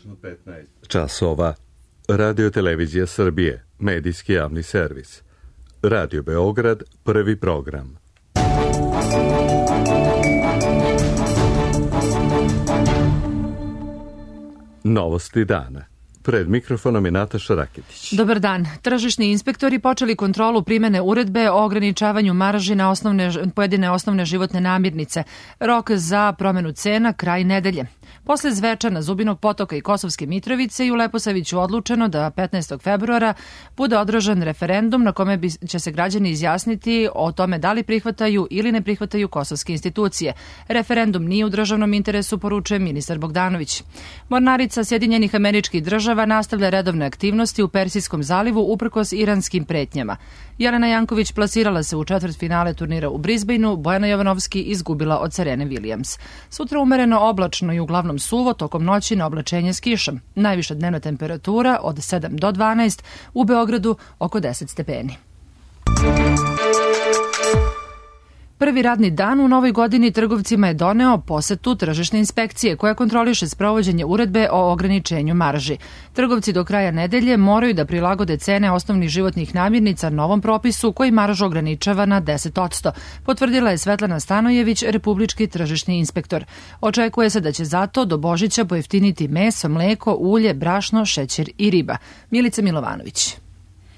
Tačno 15 časova. Radio Televizija Srbije, medijski javni servis. Radio Beograd, prvi program. Novosti dana. Pred mikrofonom je Nataša Raketić. Dobar dan. Tržišni inspektori počeli kontrolu primene uredbe o ograničavanju marži na pojedine osnovne životne namirnice. Rok za promenu cena kraj nedelje. Posle Zvečana, Zubinog Potoka i Kosovske Mitrovice i u Leposaviću odlučeno da 15. februara bude održan referendum na kome će se građani izjasniti o tome da li prihvataju ili ne prihvataju kosovske institucije. Referendum nije u državnom interesu, poručuje ministar Bogdanović. Mornarica Sjedinjenih Američkih Država nastavlja redovne aktivnosti u Persijskom zalivu uprkos iranskim pretnjama. Jelena Janković plasirala se u četvrtfinale turnira u Brisbaneu, Bojana Jovanovski izgubila od Serene Williams. Sutra umereno oblačno i uglavnom suvo, tokom noći na oblačenje s kišom. Najviša dnevna temperatura od 7 do 12, u Beogradu oko 10 stepeni. Prvi radni dan u novoj godini trgovcima je doneo posetu tržišne inspekcije koja kontroliše sprovođenje uredbe o ograničenju marži. Trgovci do kraja nedelje moraju da prilagode cene osnovnih životnih namirnica novom propisu koji maržu ograničava na 10%, potvrdila je Svetlana Stanojević, republički tržišni inspektor. Očekuje se da će zato do Božića pojeftiniti meso, mleko, ulje, brašno, šećer i riba. Milica Milovanović.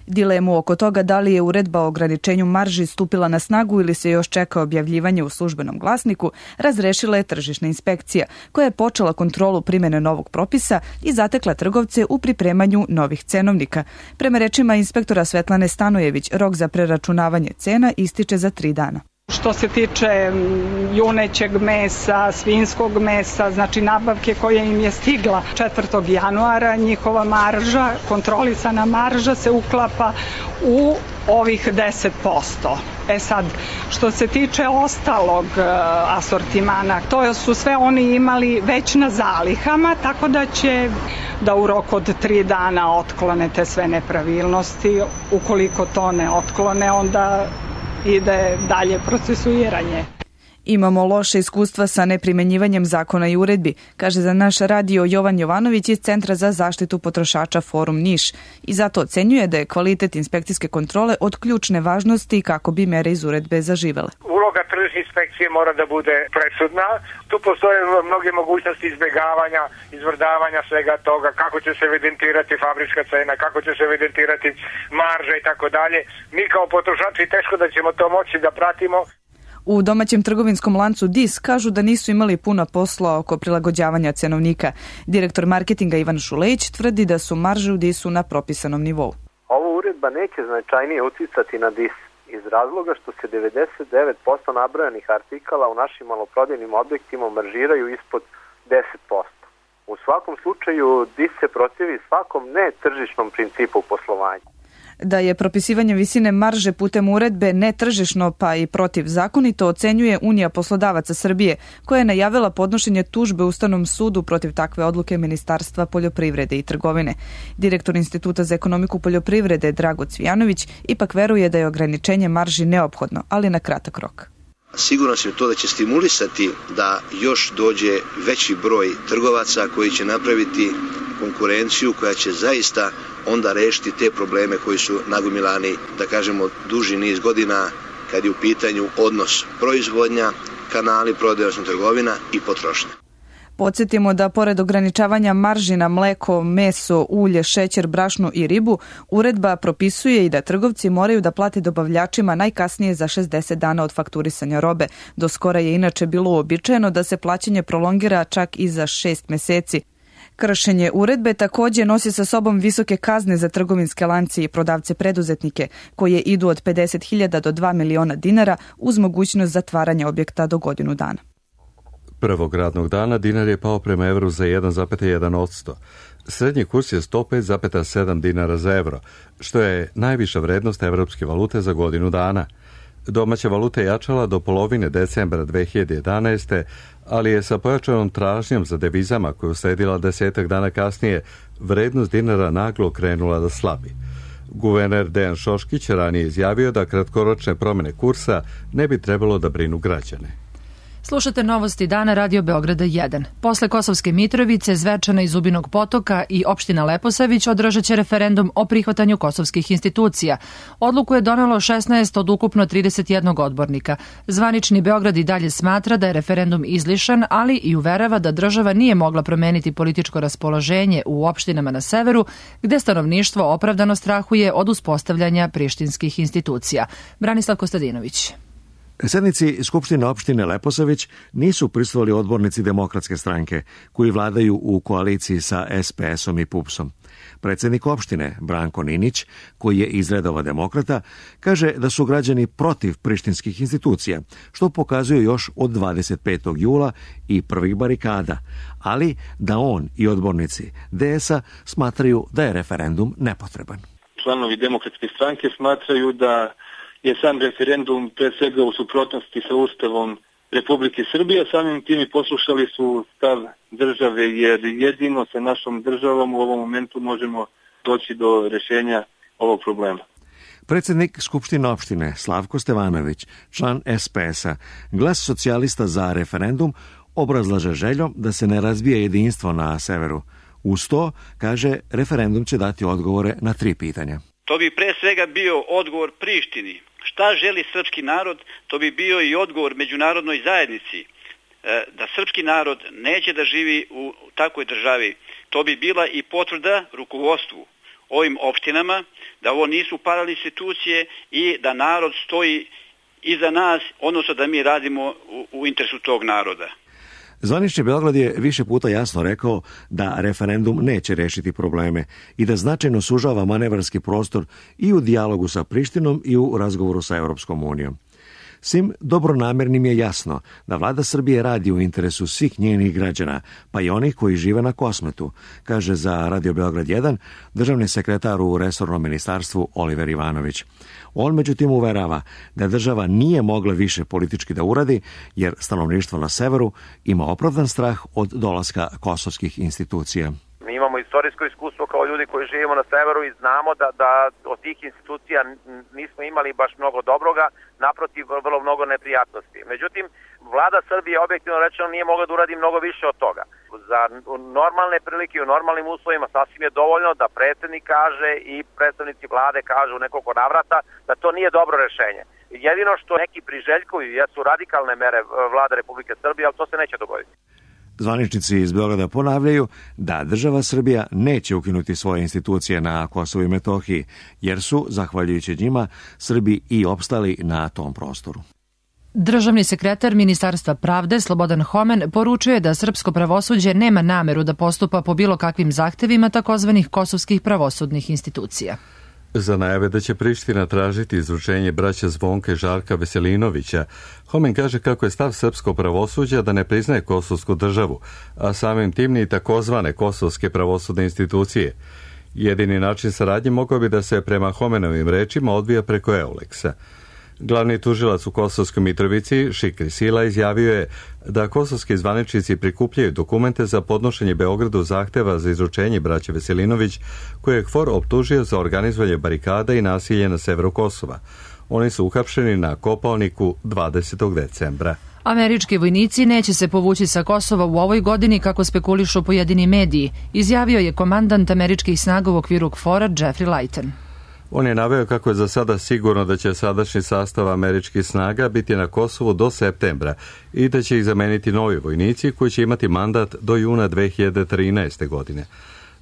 Dilemu oko toga da li je uredba o ograničenju marži stupila na snagu ili se još čeka objavljivanje u službenom glasniku, razrešila je tržišna inspekcija, koja je počela kontrolu primjene novog propisa i zatekla trgovce u pripremanju novih cenovnika. Prema rečima inspektora Svetlane Stanojević, rok za preračunavanje cena ističe za 3 dana. Što se tiče junećeg mesa, svinjskog mesa, znači nabavke koja im je stigla 4. januara, njihova marža, kontrolisana marža se uklapa u ovih 10%. Sad, što se tiče ostalog asortimana, to su sve oni imali već na zalihama, tako da će da u roku od 3 dana otklone te sve nepravilnosti. Ukoliko to ne otklone, onda ide dalje procesuiranje. Imamo loše iskustva sa neprimenjivanjem zakona i uredbi, kaže za naš radio Jovan Jovanović iz Centra za zaštitu potrošača Forum Niš i zato ocenjuje da je kvalitet inspekcijske kontrole od ključne važnosti kako bi mere iz uredbe zaživele. Uloga tržišne inspekcije mora da bude presudna. Tu postoje mnoge mogućnosti izbjegavanja, izvrdavanja svega toga, kako će se evidentirati fabrička cena, kako će se evidentirati marža i tako dalje. Mi kao potrošači teško da ćemo to moći da pratimo. U domaćem trgovinskom lancu DIS kažu da nisu imali puno posla oko prilagođavanja cenovnika. Direktor marketinga Ivan Šulejić tvrdi da su marže u DIS-u na propisanom nivou. Ova uredba neće značajnije uticati na DIS iz razloga što se 99% nabrojanih artikala u našim maloprodajnim objektima maržiraju ispod 10%. U svakom slučaju DIS se protivi svakom netržišnom principu poslovanja. Da je propisivanje visine marže putem uredbe netržišno pa i protivzakonito ocenjuje Unija poslodavaca Srbije, koja je najavila podnošenje tužbe Ustavnom sudu protiv takve odluke Ministarstva poljoprivrede i trgovine. Direktor Instituta za ekonomiku poljoprivrede Drago Cvijanović ipak veruje da je ograničenje marži neophodno, ali na kratak rok. Sigurno se to da će stimulisati da još dođe veći broj trgovaca koji će napraviti konkurenciju koja će zaista onda rešiti te probleme koji su nagomilani, da kažemo, duži niz godina kad je u pitanju odnos proizvodnja, kanali prodaje, odnosno trgovina i potrošnja. Podsjetimo da pored ograničavanja marži na mleko, meso, ulje, šećer, brašno i ribu, uredba propisuje i da trgovci moraju da plate dobavljačima najkasnije za 60 dana od fakturisanja robe. Do skora je inače bilo uobičajeno da se plaćanje prolongira čak i za 6 meseci. Kršenje uredbe također nosi sa sobom visoke kazne za trgovinske lance i prodavce preduzetnike, koje idu od 50.000 do 2 miliona dinara uz mogućnost zatvaranja objekta do godinu dana. Prvog radnog dana dinar je pao prema evru za 1,1%. Srednji kurs je 105,7 dinara za evro, što je najviša vrednost evropske valute za godinu dana. Domaća valuta je jačala do polovine decembra 2011. ali je sa pojačanom tražnjom za devizama koju sledila 10 dana kasnije vrednost dinara naglo krenula da slabi. Guverner Dejan Šoškić ranije izjavio da kratkoročne promjene kursa ne bi trebalo da brinu građane. Slušate novosti dana Radio Beograda 1. Posle Kosovske Mitrovice, Zvečana i Zubinog Potoka i opština Leposavić održat će referendum o prihvatanju kosovskih institucija. Odluku je donelo 16 od ukupno 31 odbornika. Zvanični Beograd i dalje smatra da je referendum izlišan, ali i uverava da država nije mogla promeniti političko raspoloženje u opštinama na severu, gde stanovništvo opravdano strahuje od uspostavljanja prištinskih institucija. Branislav Kostadinović. Sednici Skupštine opštine Leposavić nisu prisustvovali odbornici Demokratske stranke, koji vladaju u koaliciji sa SPS-om i PUPS-om. Predsjednik opštine, Branko Ninić, koji je iz redova demokrata, kaže da su građani protiv prištinskih institucija, što pokazuje još od 25. jula i prvih barikada, ali da on i odbornici DS-a smatraju da je referendum nepotreban. Članovi Demokratske stranke smatraju da je sam referendum pre svega u suprotnosti sa Ustavom Republike Srbije, samim tim i poslušali su stav države, jer jedino sa našom državom u ovom momentu možemo doći do rešenja ovog problema. Predsjednik Skupštine opštine Slavko Stevanović, član SPS-a, Glas socijalista za referendum, obrazlaže željom da se ne razbije jedinstvo na severu. Uz to, kaže, referendum će dati odgovore na 3 pitanja. To bi pre svega bio odgovor Prištini. Šta želi srpski narod, to bi bio i odgovor međunarodnoj zajednici. Da srpski narod neće da živi u takvoj državi. To bi bila i potvrda rukovodstvu ovim opštinama, da ovo nisu paralelne institucije i da narod stoji iza nas, odnosno da mi radimo u interesu tog naroda. Zvanični Beograd je više puta jasno rekao da referendum neće rešiti probleme i da značajno sužava manevarski prostor i u dijalogu sa Prištinom i u razgovoru sa Europskom unijom. Svim dobronamernim je jasno da vlada Srbije radi u interesu svih njenih građana, pa i onih koji žive na Kosmetu, kaže za Radio Beograd 1 državni sekretar u resornom ministarstvu Oliver Ivanović. On međutim uverava da država nije mogla više politički da uradi, jer stanovništvo na severu ima opravdan strah od dolaska kosovskih institucija. Mi imamo istorijsko iskustvo kao ljudi koji živimo na severu i znamo da od tih institucija nismo imali baš mnogo dobroga, naprotiv vrlo mnogo neprijatnosti. Međutim, vlada Srbije objektivno rečeno nije mogla da uradi mnogo više od toga. Za normalne prilike i u normalnim uslovima sasvim je dovoljno da predsjednik kaže i predstavnici vlade kažu u nekoliko navrata da to nije dobro rešenje. Jedino što neki priželjkuju jesu radikalne mere vlade Republike Srbije, ali to se neće dogoditi. Zvaničnici iz Beograda ponavljaju da država Srbija neće ukinuti svoje institucije na Kosovu i Metohiji, jer su, zahvaljujući njima, Srbi i opstali na tom prostoru. Državni sekretar Ministarstva pravde Slobodan Homen poručuje da srpsko pravosuđe nema nameru da postupa po bilo kakvim zahtevima takozvanih kosovskih pravosudnih institucija. Za najave da će Priština tražiti izručenje braća Zvonka i Žarka Veselinovića, Homen kaže kako je stav srpskog pravosuđa da ne priznaje kosovsku državu, a samim tim ni takozvane kosovske pravosudne institucije. Jedini način saradnje mogao bi da se prema Homenovim rečima odvija preko Euleksa. Glavni tužilac u Kosovskoj Mitrovici, Šikri Sila, izjavio je da kosovski zvaničnici prikupljaju dokumente za podnošenje Beogradu zahteva za izručenje braće Veselinović, koje je KFOR optužio za organizovanje barikada i nasilje na severu Kosova. Oni su uhapšeni na Kopalniku 20. decembra. Američki vojnici neće se povući sa Kosova u ovoj godini, kako spekulišu pojedini mediji, izjavio je komandant američkih snaga u okviru KFOR-a Jeffrey Leighton. On je naveo kako je za sada sigurno da će sadašnji sastav američkih snaga biti na Kosovu do septembra i da će ih zameniti novi vojnici koji će imati mandat do juna 2013. godine.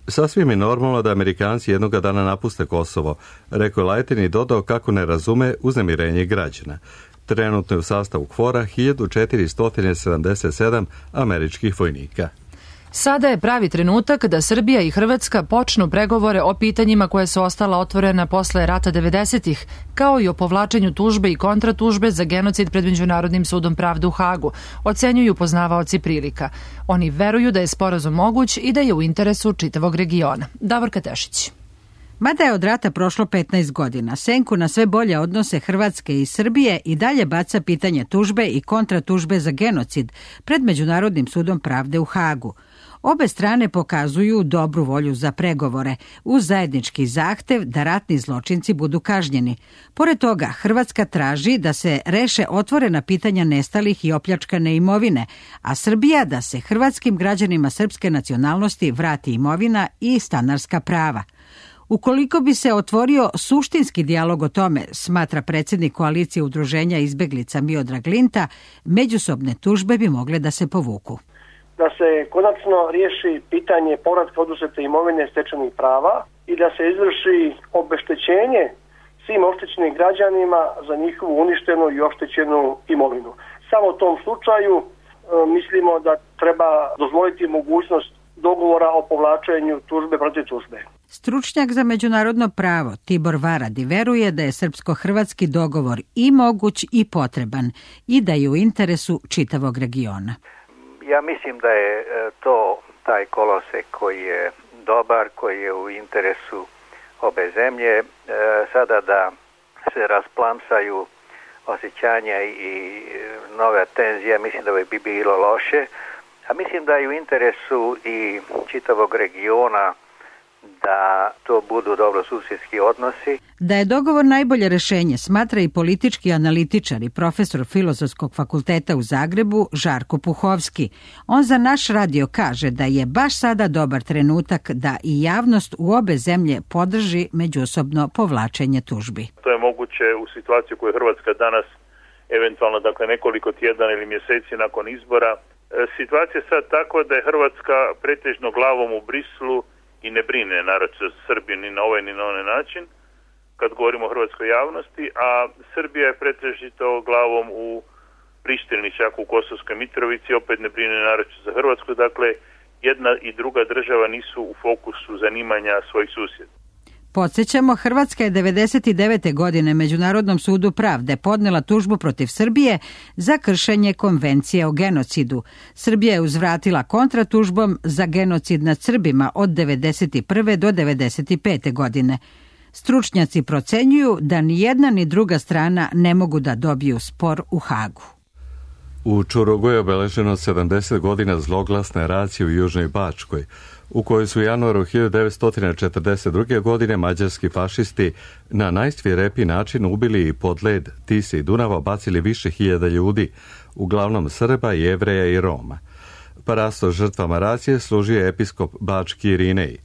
Sasvim je normalno da Amerikanci jednoga dana napuste Kosovo, rekao je Leighton i dodao kako ne razume uznemirenje građana. Trenutno je u sastavu KFOR-a 1477 američkih vojnika. Sada je pravi trenutak da Srbija i Hrvatska počnu pregovore o pitanjima koje su ostala otvorena posle rata 90-ih, kao i o povlačenju tužbe i kontratužbe za genocid pred Međunarodnim sudom pravde u Hagu, ocenjuju poznavaoci prilika. Oni veruju da je sporazum moguć i da je u interesu čitavog regiona. Davorka Tešić. Mada je od rata prošlo 15 godina, senku na sve bolje odnose Hrvatske i Srbije i dalje baca pitanje tužbe i kontratužbe za genocid pred Međunarodnim sudom pravde u Hagu. Obe strane pokazuju dobru volju za pregovore uz zajednički zahtev da ratni zločinci budu kažnjeni. Pored toga, Hrvatska traži da se reše otvorena pitanja nestalih i opljačkane imovine, a Srbija da se hrvatskim građanima srpske nacionalnosti vrati imovina i stanarska prava. Ukoliko bi se otvorio suštinski dijalog o tome, smatra predsjednik koalicije udruženja izbeglica Miodrag Linta, međusobne tužbe bi mogle da se povuku. Da se konačno riješi pitanje povratka oduzete imovine stečenih prava i da se izvrši obeštećenje svim oštećenim građanima za njihovu uništenu i oštećenu imovinu. Samo u tom slučaju mislimo da treba dozvoliti mogućnost dogovora o povlačenju tužbe protiv tužbe. Stručnjak za međunarodno pravo Tibor Varadi veruje da je srpsko-hrvatski dogovor i moguć i potreban i da je u interesu čitavog regiona. Ja mislim da je to taj kolosek koji je dobar, koji je u interesu obe zemlje. Sada da se rasplamsaju osjećanja i nove tenzije, mislim da bi bilo loše. A mislim da je u interesu i čitavog regiona da to budu dobrosusjedski odnosi. Da je dogovor najbolje rešenje, smatra i politički analitičar i profesor Filozofskog fakulteta u Zagrebu Žarko Puhovski. On za naš radio kaže da je baš sada dobar trenutak da i javnost u obe zemlje podrži međusobno povlačenje tužbi. To je moguće u situaciji koju je Hrvatska danas, eventualno dakle nekoliko tjedana ili mjeseci nakon izbora. Situacija je sad tako da je Hrvatska pretežno glavom u Brislu i ne brine naročito Srbiju ni na ovaj ni na onaj način kad govorimo o hrvatskoj javnosti, a Srbija je pretežito glavom u Prištini, čak u Kosovskoj Mitrovici, opet ne brine naročito za Hrvatsku, dakle jedna i druga država nisu u fokusu zanimanja svojih susjeda. Podsjećamo, Hrvatska je 1999. godine Međunarodnom sudu pravde podnela tužbu protiv Srbije za kršenje konvencije o genocidu. Srbija je uzvratila kontratužbom za genocid nad Srbima od 1991. do 1995. godine. Stručnjaci procenjuju da ni jedna ni druga strana ne mogu da dobiju spor u Hagu. U Čurugu je obeleženo 70 godina zloglasne racije u Južnoj Bačkoj, u kojoj su u januaru 1942. godine mađarski fašisti na najsvirepiji način ubili i pod led Tise i Dunava bacili više hiljada ljudi, uglavnom Srba, Jevreja i Roma. Parasto žrtvama racije služio je episkop Bački Irinej.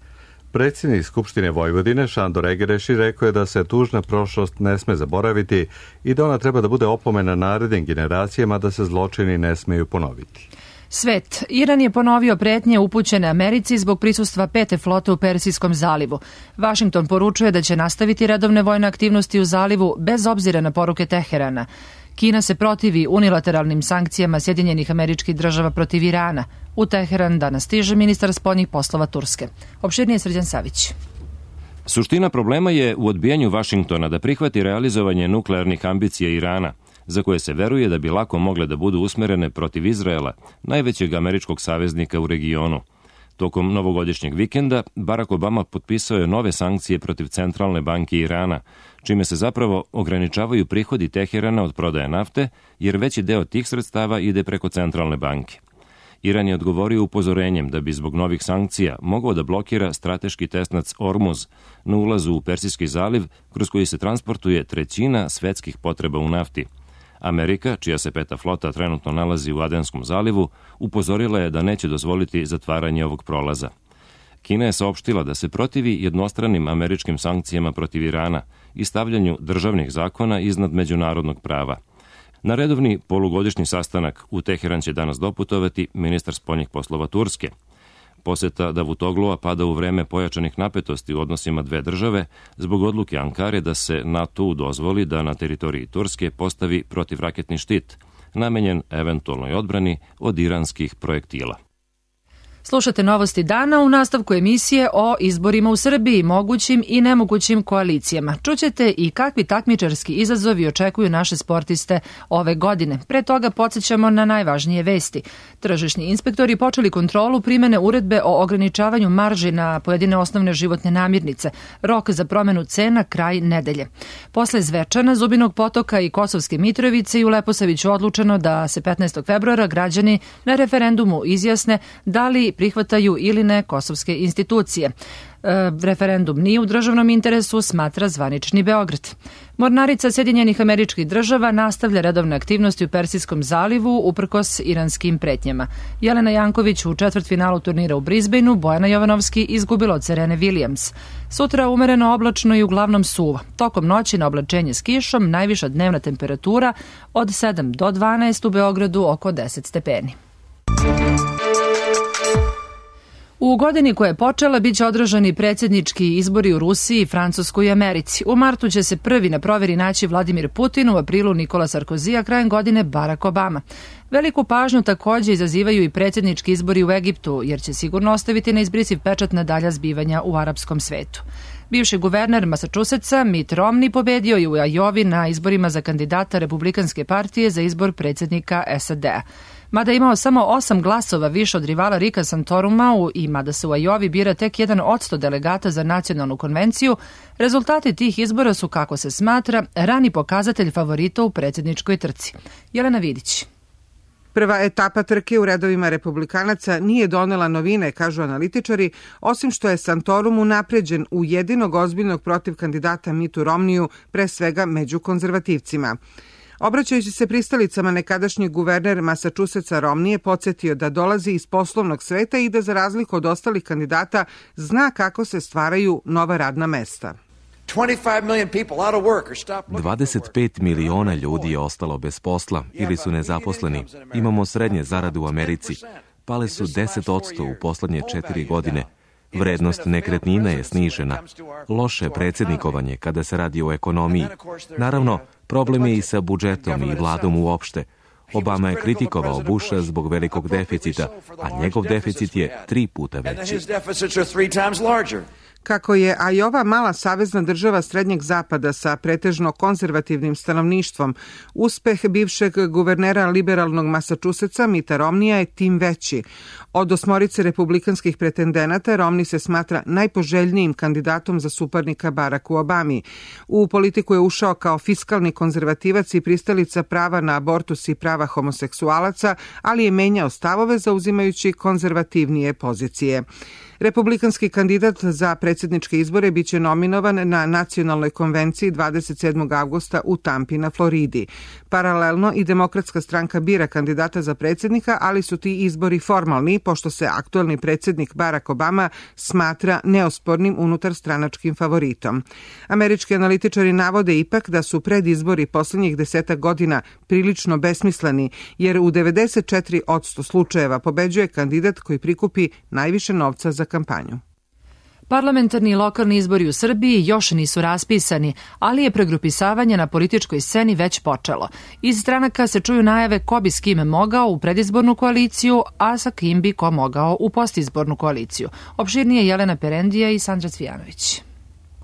Predsjednik Skupštine Vojvodine Šandor Egereši rekao je da se tužna prošlost ne sme zaboraviti i da ona treba da bude opomena narednim generacijama da se zločini ne smeju ponoviti. Svet. Iran je ponovio pretnje upućene Americi zbog prisustva 5. flote u Persijskom zalivu. Vašington poručuje da će nastaviti redovne vojne aktivnosti u zalivu bez obzira na poruke Teherana. Kina se protivi unilateralnim sankcijama Sjedinjenih Američkih Država protiv Irana. U Teheran danas stiže ministar spoljnih poslova Turske. Opširnije Srđan Savić. Suština problema je u odbijanju Vašingtona da prihvati realizovanje nuklearnih ambicija Irana, za koje se veruje da bi lako mogle da budu usmerene protiv Izraela, najvećeg američkog saveznika u regionu. Tokom novogodišnjeg vikenda Barack Obama potpisao je nove sankcije protiv Centralne banke Irana, čime se zapravo ograničavaju prihodi Teherana od prodaje nafte, jer veći deo tih sredstava ide preko Centralne banke. Iran je odgovorio upozorenjem da bi zbog novih sankcija mogao da blokira strateški tesnac Ormuz na ulazu u Persijski zaliv, kroz koji se transportuje 1/3 svetskih potreba u nafti. Amerika, čija se 5. flota trenutno nalazi u Adenskom zalivu, upozorila je da neće dozvoliti zatvaranje ovog prolaza. Kina je saopštila da se protivi jednostranim američkim sankcijama protiv Irana i stavljanju državnih zakona iznad međunarodnog prava. Na redovni polugodišnji sastanak u Teheran će danas doputovati ministar spoljnih poslova Turske. Poseta Davutoglua pada u vreme pojačanih napetosti u odnosima dve države zbog odluke Ankare da se NATO dozvoli da na teritoriji Turske postavi protivraketni štit, namenjen eventualnoj odbrani od iranskih projektila. Slušate novosti dana u nastavku emisije o izborima u Srbiji, mogućim i nemogućim koalicijama. Čućete i kakvi takmičarski izazovi očekuju naše sportiste ove godine. Pre toga podsjećamo na najvažnije vesti. Tržišni inspektori počeli kontrolu primene uredbe o ograničavanju marži na pojedine osnovne životne namirnice. Rok za promenu cena kraj nedelje. Posle Zvečana, Zubinog Potoka i Kosovske Mitrovice i u Leposaviću odlučeno da se 15. februara građani na referendumu izjasne da li prihvataju ili ne kosovske institucije. Referendum nije u državnom interesu, smatra zvanični Beograd. Mornarica Sjedinjenih Američkih Država nastavlja redovne aktivnosti u Persijskom zalivu uprkos iranskim pretnjama. Jelena Janković u četvrtfinalu turnira u Brisbaneu, Bojana Jovanovski izgubila od Serene Williams. Sutra umereno oblačno i uglavnom suvo. Tokom noći na oblačenje s kišom, najviša dnevna temperatura od 7 do 12, u Beogradu oko 10 stepeni. U godini koja je počela biće održani predsjednički izbori u Rusiji, Francuskoj i Americi. U martu će se prvi na proveri naći Vladimir Putin, u aprilu Nikola Sarkozy, a krajem godine Barack Obama. Veliku pažnju također izazivaju i predsjednički izbori u Egiptu, jer će sigurno ostaviti neizbrisiv pečat na dalja zbivanja u arapskom svetu. Bivši guverner Massachusettsa Mitt Romney pobedio je u Ajovi na izborima za kandidata Republikanske partije za izbor predsjednika SAD-a. Mada je imao samo 8 glasova više od rivala Rika Santoruma i mada se u Ajovi bira tek 1% delegata za nacionalnu konvenciju, rezultati tih izbora su, kako se smatra, rani pokazatelj favorita u predsjedničkoj trci. Jelena Vidić. Prva etapa trke u redovima republikanaca nije donela novine, kažu analitičari, osim što je Santorum unapređen u jedinog ozbiljnog protiv kandidata Mittu Romneyu, pre svega među konzervativcima. Obraćajući se pristalicama, nekadašnji guverner Massachusettsa Romney je podsjetio da dolazi iz poslovnog sveta i da za razliku od ostalih kandidata zna kako se stvaraju nova radna mesta. 25 miliona ljudi je ostalo bez posla ili su nezaposleni. Imamo srednje zarade u Americi. Pale su 10% u poslednje 4 godine. Vrednost nekretnina je snižena. Loše predsjednikovanje kada se radi o ekonomiji. Naravno, problem je i sa budžetom i vladom uopšte. Obama je kritikovao Busha zbog velikog deficita, a njegov deficit je 3 puta veći. Kako je Ajova mala savezna država Srednjeg zapada sa pretežno konzervativnim stanovništvom, uspeh bivšeg guvernera liberalnog Massachusettsa Mitta Romneya je tim veći. Od 8 republikanskih pretendenata Romney se smatra najpoželjnijim kandidatom za suparnika Baracku Obami. U politiku je ušao kao fiskalni konzervativac i pristalica prava na abortus i prava homoseksualaca, ali je menjao stavove zauzimajući konzervativnije pozicije. Republikanski kandidat za predsjedničke izbore biće nominovan na nacionalnoj konvenciji 27. avgusta u Tampi na Floridi. Paralelno i Demokratska stranka bira kandidata za predsjednika, ali su ti izbori formalni, pošto se aktuelni predsjednik Barack Obama smatra neospornim unutarstranačkim favoritom. Američki analitičari navode ipak da su predizbori posljednjih 10 godina prilično besmisleni, jer u 94% slučajeva pobeđuje kandidat koji prikupi najviše novca za kampanju. Parlamentarni i lokalni izbori u Srbiji još nisu raspisani, ali je pregrupisavanje na političkoj sceni već počelo. Iz stranaka se čuju najave ko bi s kime mogao u predizbornu koaliciju, a sa kim bi ko mogao u postizbornu koaliciju. Opširnije Jelena Perendija i Sandra Cvijanović.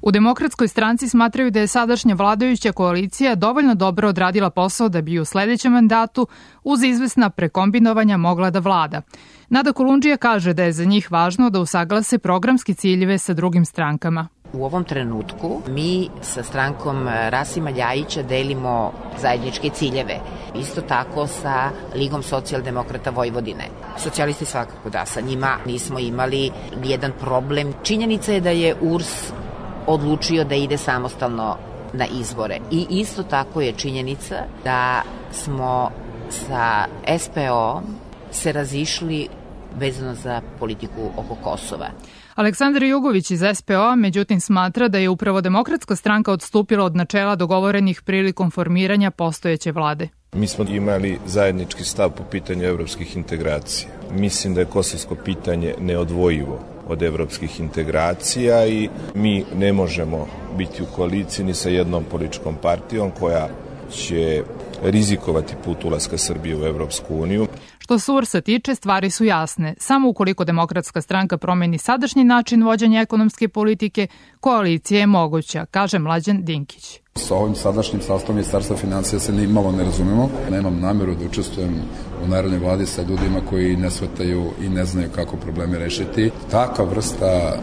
U Demokratskoj stranci smatraju da je sadašnja vladajuća koalicija dovoljno dobro odradila posao da bi u sledećem mandatu uz izvesna prekombinovanja mogla da vlada. Nada Kolundžija kaže da je za njih važno da usaglase programske ciljeve sa drugim strankama. U ovom trenutku mi sa strankom Rasima Ljajića delimo zajedničke ciljeve. Isto tako sa Ligom socijaldemokrata Vojvodine. Socijalisti svakako da, sa njima nismo imali nijedan problem. Činjenica je da je URS odlučio da ide samostalno na izbore. I isto tako je činjenica da smo sa SPO se razišli vezano za politiku oko Kosova. Aleksandar Jugović iz SPO međutim smatra da je upravo Demokratska stranka odstupila od načela dogovorenih prilikom formiranja postojeće vlade. Mi smo imali zajednički stav po pitanju evropskih integracija. Mislim da je kosovsko pitanje neodvojivo od evropskih integracija i mi ne možemo biti u koaliciji ni sa jednom političkom partijom koja će rizikovati put ulaska Srbije u Evropsku uniju. Što se URS-a tiče, stvari su jasne. Samo ukoliko Demokratska stranka promeni sadašnji način vođenja ekonomske politike, koalicija je moguća, kaže Mlađan Dinkić. Sa ovim sadašnjim sastavom Ministarstva financija se malo ne razumemo. Nemam nameru da učestvujem u narodnoj vladi sa ljudima koji ne shvataju i ne znaju kako probleme rešiti. Taka vrsta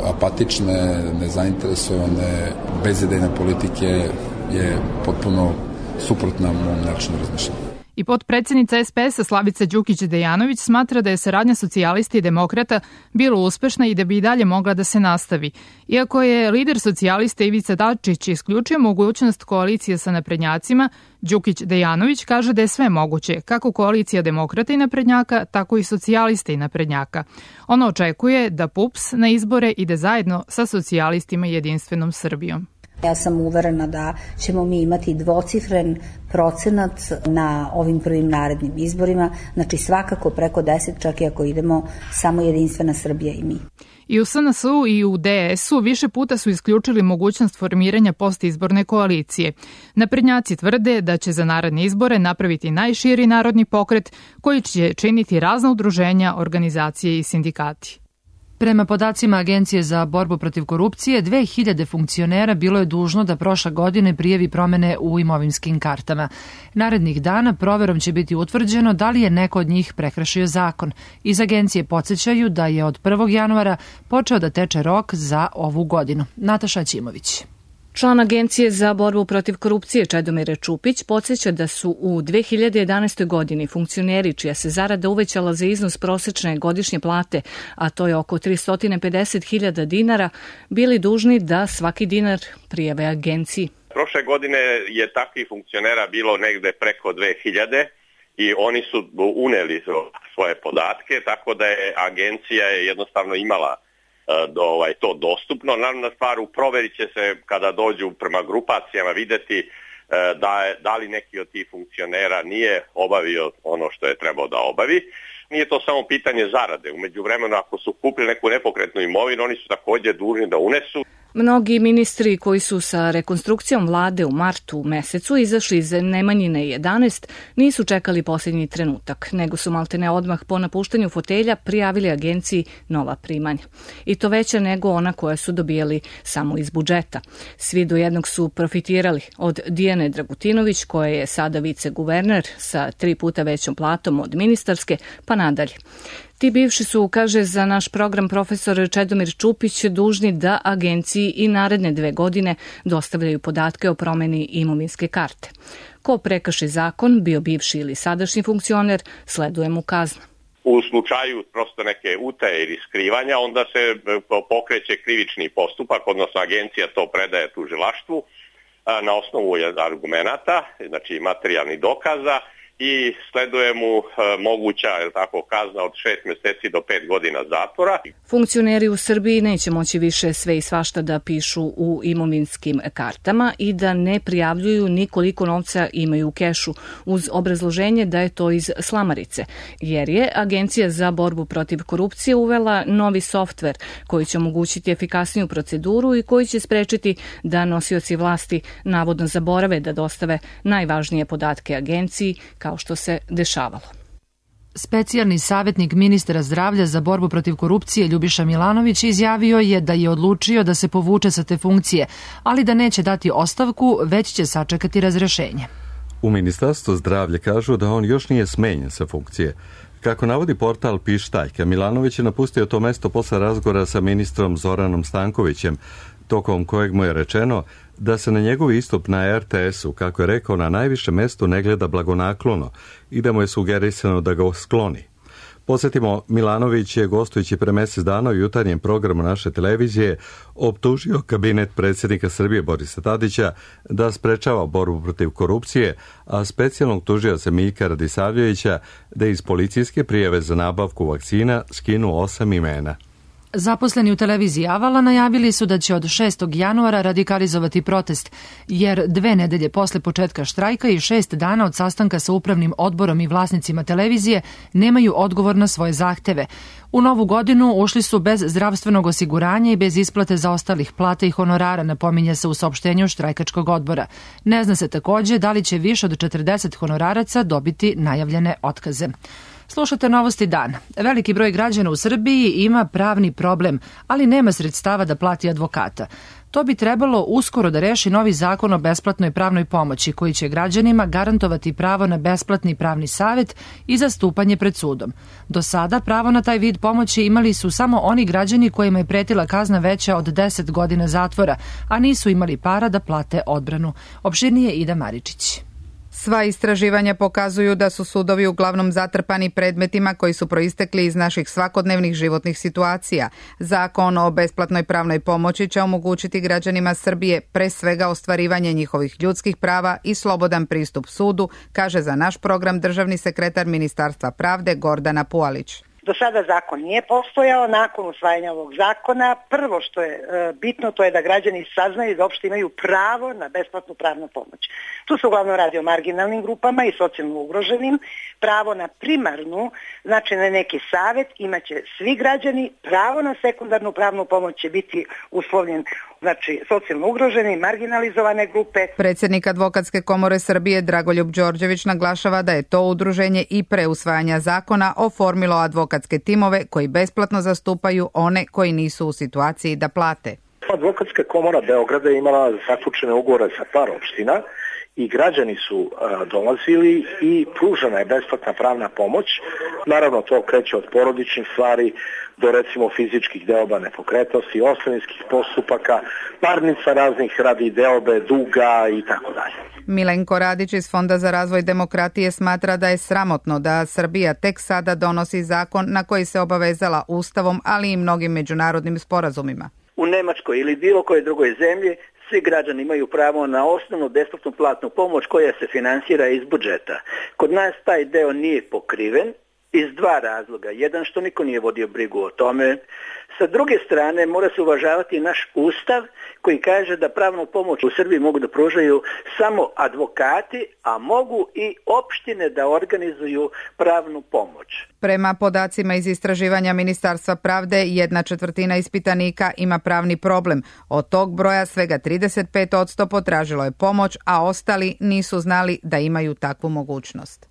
apatične, nezainteresovane, bezidejne politike je potpuno suprotna mom načinu razmišljanja. I potpredsednica SPS-a Slavica Đukić-Dejanović smatra da je saradnja socijalisti i demokrata bila uspešna i da bi i dalje mogla da se nastavi. Iako je lider socijalista Ivica Dačić isključio mogućnost koalicije sa naprednjacima, Đukić-Dejanović kaže da je sve moguće, kako koalicija demokrata i naprednjaka, tako i socijalista i naprednjaka. Ona očekuje da PUPS na izbore ide zajedno sa socijalistima i Jedinstvenom Srbijom. Ja sam uverena da ćemo mi imati dvocifren procenat na ovim prvim narednim izborima, znači svakako preko 10, čak i ako idemo samo Jedinstvena Srbija i mi. I u SNS-u i u DS-u više puta su isključili mogućnost formiranja postizborne koalicije. Naprednjaci tvrde da će za naredne izbore napraviti najširi narodni pokret koji će činiti razna udruženja, organizacije i sindikati. Prema podacima Agencije za borbu protiv korupcije, 2000 funkcionera bilo je dužno da prošle godine prijavi promene u imovinskim kartama. Narednih dana proverom će biti utvrđeno da li je neko od njih prekršio zakon. Iz agencije podsjećaju da je od 1. januara počeo da teče rok za ovu godinu. Nataša Ćimović. Član Agencije za borbu protiv korupcije Čedomir Čupić podsjeća da su u 2011. godini funkcioneri čija se zarada uvećala za iznos prosečne godišnje plate, a to je oko 350.000 dinara, bili dužni da svaki dinar prijave agenciji. Prošle godine je takvih funkcionera bilo negde preko 2000 i oni su uneli svoje podatke, tako da je agencija jednostavno imala to dostupno. Naravno stvar u proveri će se kada dođu prema grupacijama videti da li neki od tih funkcionera nije obavio ono što je trebao da obavi. Nije to samo pitanje zarade. U međuvremenu ako su kupili neku nepokretnu imovinu, oni su također dužni da unesu. Mnogi ministri koji su sa rekonstrukcijom vlade u martu mesecu izašli iz Nemanjine 11 nisu čekali posljednji trenutak, nego su maltene odmah po napuštanju fotelja prijavili agenciji nova primanja. I to veća nego ona koja su dobijali samo iz budžeta. Svi do jednog su profitirali od Dijane Dragutinović, koja je sada viceguverner sa 3 puta većom platom od ministarske, pa nadalje. Ti bivši su, kaže za naš program profesor Čedomir Čupić, dužni da agenciji i naredne 2 godine dostavljaju podatke o promeni imovinske karte. Ko prekrši zakon, bio bivši ili sadašnji funkcioner, sleduje mu kazna. U slučaju prosto neke utaje ili skrivanja, onda se pokreće krivični postupak, odnosno agencija to predaje tužilaštvu na osnovu argumenata, znači materijalnih dokaza, i sleduje mu moguća kazna od 6 mjeseci do 5 godina zatvora. Funkcioneri u Srbiji neće moći više sve i svašta da pišu u imovinskim kartama i da ne prijavljuju ni koliko novca imaju u kešu, uz obrazloženje da je to iz slamarice, jer je Agencija za borbu protiv korupcije uvela novi softver koji će omogućiti efikasniju proceduru i koji će sprečiti da nosioci vlasti navodno zaborave da dostave najvažnije podatke agenciji, kao što se dešavalo. Specijalni savjetnik ministra zdravlja za borbu protiv korupcije Ljubiša Milanović izjavio je da je odlučio da se povuče sa te funkcije, ali da neće dati ostavku, već će sačekati razrešenje. U Ministarstvu zdravlja kažu da on još nije smenjen sa funkcije. Kako navodi portal Pištaljka, Milanović je napustio to mesto posle razgovora sa ministrom Zoranom Stankovićem, tokom kojeg mu je rečeno da se na njegov istup na RTS-u, kako je rekao, na najvišem mestu ne gleda blagonaklono i da mu je sugerisano da ga skloni. Podsjetimo, Milanović je gostujući pre mjesec dana u jutarnjem programu naše televizije optužio kabinet predsjednika Srbije Borisa Tadića da sprečava borbu protiv korupcije, a specijalnog tužioca Miljka Radisavljevića da iz policijske prijave za nabavku vakcina skinu 8 imena. Zaposleni u televiziji Avala najavili su da će od 6. januara radikalizovati protest, jer 2 nedelje posle početka štrajka i 6 dana od sastanka sa upravnim odborom i vlasnicima televizije nemaju odgovor na svoje zahteve. U novu godinu ušli su bez zdravstvenog osiguranja i bez isplate zaostalih plata i honorara, napominje se u saopštenju štrajkačkog odbora. Ne zna se također da li će više od 40 honoraraca dobiti najavljene otkaze. Slušate Novosti dana. Veliki broj građana u Srbiji ima pravni problem, ali nema sredstava da plati advokata. To bi trebalo uskoro da reši novi zakon o besplatnoj pravnoj pomoći, koji će građanima garantovati pravo na besplatni pravni savjet i zastupanje pred sudom. Do sada pravo na taj vid pomoći imali su samo oni građani kojima je pretila kazna veća od 10 godina zatvora, a nisu imali para da plate odbranu. Opširnije Ida Maričić. Sva istraživanja pokazuju da su sudovi uglavnom zatrpani predmetima koji su proistekli iz naših svakodnevnih životnih situacija. Zakon o besplatnoj pravnoj pomoći će omogućiti građanima Srbije pre svega ostvarivanje njihovih ljudskih prava i slobodan pristup sudu, kaže za naš program državni sekretar Ministarstva pravde Gordana Pualić. Do sada zakon nije postojao. Nakon usvajanja ovog zakona, prvo što je bitno, to je da građani saznaju da uopšte imaju pravo na besplatnu pravnu pomoć. Tu se uglavnom radi o marginalnim grupama i socijalno ugroženim. Pravo na primarnu, znači na neki savjet, imaće svi građani. Pravo na sekundarnu pravnu pomoć će biti uslovljen, znači socijalno ugrožene i marginalizovane grupe. Predsjednik Advokatske komore Srbije Dragoljub Đorđević naglašava da je to udruženje i pre usvajanja zakona oformilo advokatske timove koji besplatno zastupaju one koji nisu u situaciji da plate. Advokatska komora Beograda je imala zaključene ugovore sa par opština i građani su dolazili i pružena je besplatna pravna pomoć. Naravno, to kreće od porodičnih stvari do recimo fizičkih deoba nepokretnosti, ostavinskih postupaka, parnica raznih radi deobe, duga i tako dalje. Milenko Radić iz Fonda za razvoj demokratije smatra da je sramotno da Srbija tek sada donosi zakon na koji se obavezala Ustavom, ali i mnogim međunarodnim sporazumima. U Nemačkoj ili bilo kojoj drugoj zemlji svi građani imaju pravo na osnovnu besplatnu platnu pomoć koja se finansira iz budžeta. Kod nas taj deo nije pokriven iz dva razloga. Jedan, što niko nije vodio brigu o tome. Sa druge strane, mora se uvažavati naš ustav koji kaže da pravnu pomoć u Srbiji mogu da pružaju samo advokati, a mogu i opštine da organizuju pravnu pomoć. Prema podacima iz istraživanja Ministarstva pravde, 1/4 ispitanika ima pravni problem. Od tog broja svega 35% potražilo je pomoć, a ostali nisu znali da imaju takvu mogućnost.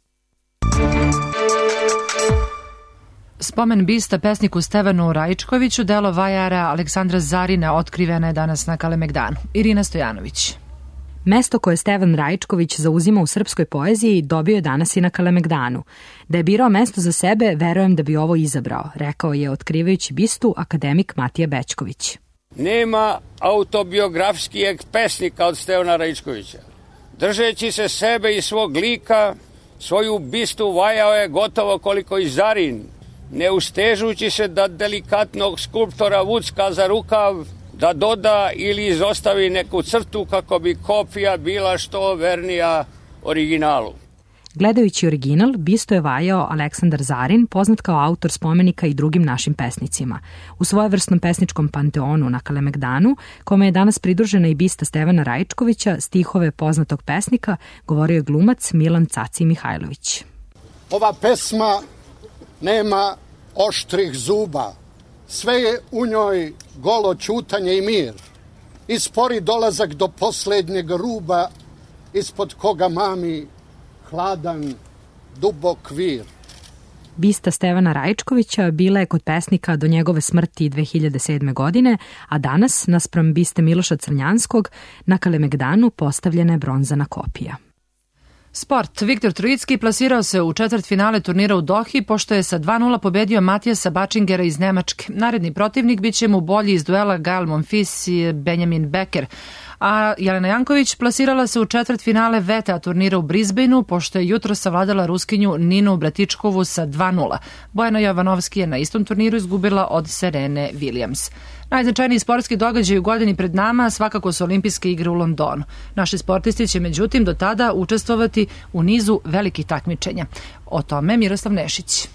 Spomen bista pesniku Stevanu Raičkoviću, delo vajara Aleksandra Zarina, otkrivena je danas na Kalemegdanu. Irina Stojanović. Mesto koje Stevan Raičković zauzima u srpskoj poeziji dobio je danas i na Kalemegdanu. Da je birao mesto za sebe, verujem da bi ovo izabrao, rekao je otkrivajući bistu akademik Matija Bećković. Nema autobiografskijeg pesnika od Stevana Raičkovića. Držeći se sebe i svog lika, svoju bistu vajao je gotovo koliko i Zarin, ne ustežući se da delikatnog skulptora vucka za rukav, da doda ili izostavi neku crtu kako bi kopija bila što vernija originalu. Gledajući original, bisto je vajao Aleksandar Zarin, poznat kao autor spomenika i drugim našim pesnicima. U svojevrsnom pesničkom panteonu na Kalemegdanu, kome je danas pridružena i bista Stevana Raičkovića, stihove poznatog pesnika, govorio je glumac Milan Caci Mihajlović. Ova pesma nema oštrih zuba, sve je u njoj golo ćutanje i mir i spori dolazak do posljednjeg ruba ispod koga mami hladan dubok vir. Bista Stevana Raičkovića bila je kod pesnika do njegove smrti 2007. godine, a danas, naspram biste Miloša Crnjanskog, na Kalemegdanu postavljena je bronzana kopija. Sport. Viktor Trojicki plasirao se u četvrtfinale turnira u Dohi, pošto je sa 2:0 pobedio Matijasa Bačingera iz Nemačke. Naredni protivnik biće mu bolji iz duela Gael Monfils i Benjamin Becker. A Jelena Janković plasirala se u četvrtfinale VTA turnira u Brisbaneu, pošto je jutro savladala Ruskinju Ninu Bratičkovu sa 2:0. Bojana Jovanovski je na istom turniru izgubila od Serene Williams. Najznačajniji sportski događaj u godini pred nama svakako su olimpijske igre u Londonu. Naši sportisti će međutim do tada učestvovati u nizu velikih takmičenja. O tome Miroslav Nešić.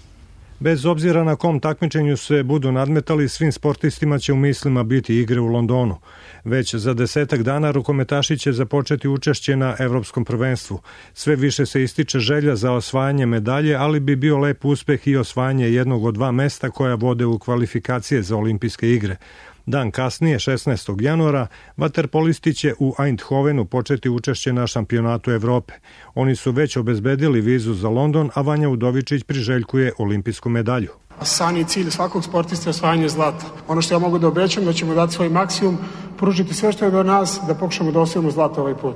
Bez obzira na kom takmičenju se budu nadmetali, svim sportistima će u mislima biti igre u Londonu. Već za 10 dana rukometaši će započeti učešće na Evropskom prvenstvu. Sve više se ističe želja za osvajanje medalje, ali bi bio lep uspeh i osvajanje jednog od 2 mesta koja vode u kvalifikacije za olimpijske igre. Dan kasnije, 16. januara, vaterpolisti će u Eindhovenu početi učešće na šampionatu Evrope. Oni su već obezbedili vizu za London, a Vanja Udovičić priželjkuje olimpijsku medalju. San je cilj svakog sportista osvajanje zlata. Ono što ja mogu da obećam, da ćemo dati svoj maksimum, pružiti sve što je do nas, da pokušamo da osvojimo zlato ovaj put.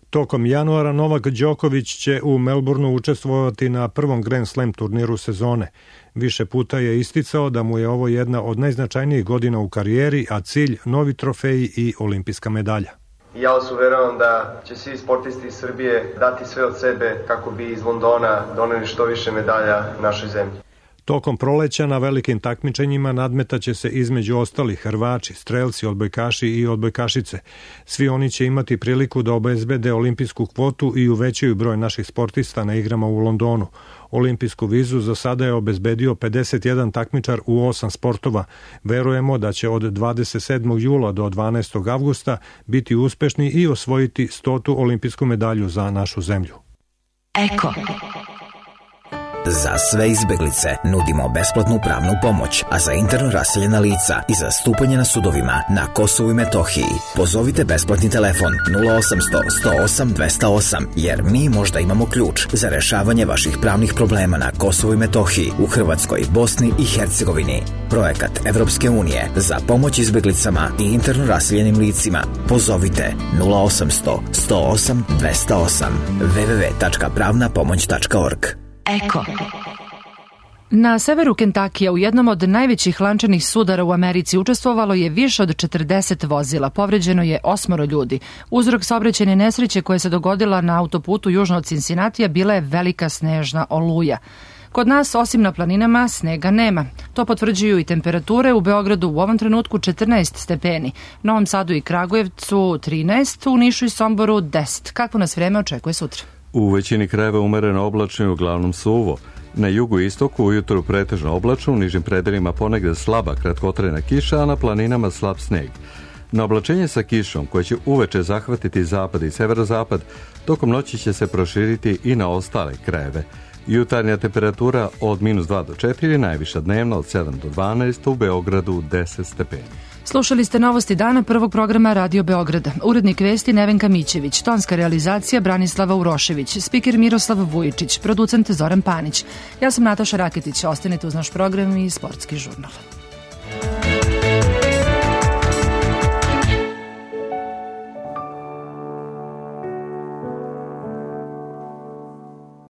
Tokom januara Novak Đoković će u Melbourneu učestvovati na prvom Grand Slam turniru sezone. Više puta je isticao da mu je ovo jedna od najznačajnijih godina u karijeri, a cilj novi trofeji i olimpijska medalja. I ja vas uveravam da će svi sportisti iz Srbije dati sve od sebe kako bi iz Londona doneli što više medalja našoj zemlji. Tokom proleća na velikim takmičenjima nadmetaće se između ostalih Hrvači, strelci, odbojkaši i odbojkašice. Svi oni će imati priliku da obezbede olimpijsku kvotu i uvećaju broj naših sportista na igrama u Londonu. Olimpijsku vizu za sada je obezbedio 51 takmičar u 8 sportova. Verujemo da će od 27. jula do 12. avgusta biti uspešni i osvojiti 100. olimpijsku medalju za našu zemlju. Eko. Za sve izbeglice nudimo besplatnu pravnu pomoć, a za interno raseljena lica i zastupanje na sudovima na Kosovu i Metohiji pozovite besplatni telefon 0800 108 208, jer mi možda imamo ključ za rešavanje vaših pravnih problema na Kosovu i Metohiji, u Hrvatskoj, Bosni i Hercegovini. Projekat Evropske unije za pomoć izbeglicama i interno raseljenim licima. Pozovite 0800 108 208 www.pravnapomoć.org. Eko. Na severu Kentakija u jednom od najvećih lančanih sudara u Americi učestvovalo je više od 40 vozila. Povređeno je 8 ljudi. Uzrok saobraćajne nesreće koja se dogodila na autoputu južno od Cincinnatija bila je velika snežna oluja. Kod nas, osim na planinama, snega nema. To potvrđuju i temperature. U Beogradu u ovom trenutku 14 stepeni, Novom Sadu i Kragujevcu 13, u Nišu i Somboru 10. Kakvo nas vreme očekuje sutra? U većini krajeva umereno oblačno i uglavnom suvo. Na jugu i istoku ujutru pretežno oblačno, u nižim predelima ponegde slaba kratkotrajna kiša, a na planinama slab sneg. Na oblačenje sa kišom, koje će uveče zahvatiti zapad i severozapad, tokom noći će se proširiti i na ostale krajeve. Jutarnja temperatura od -2 do 4, najviša dnevna od 7 do 12, u Beogradu 10 stepeni. Slušali ste novosti dana prvog programa Radio Beograda. Urednik vesti Nevenka Mićević, tonska realizacija Branislava Urošević, spiker Miroslav Vujičić, producent Zoran Panić. Ja sam Nataša Raketić, ostanite uz naš program i sportski žurnal.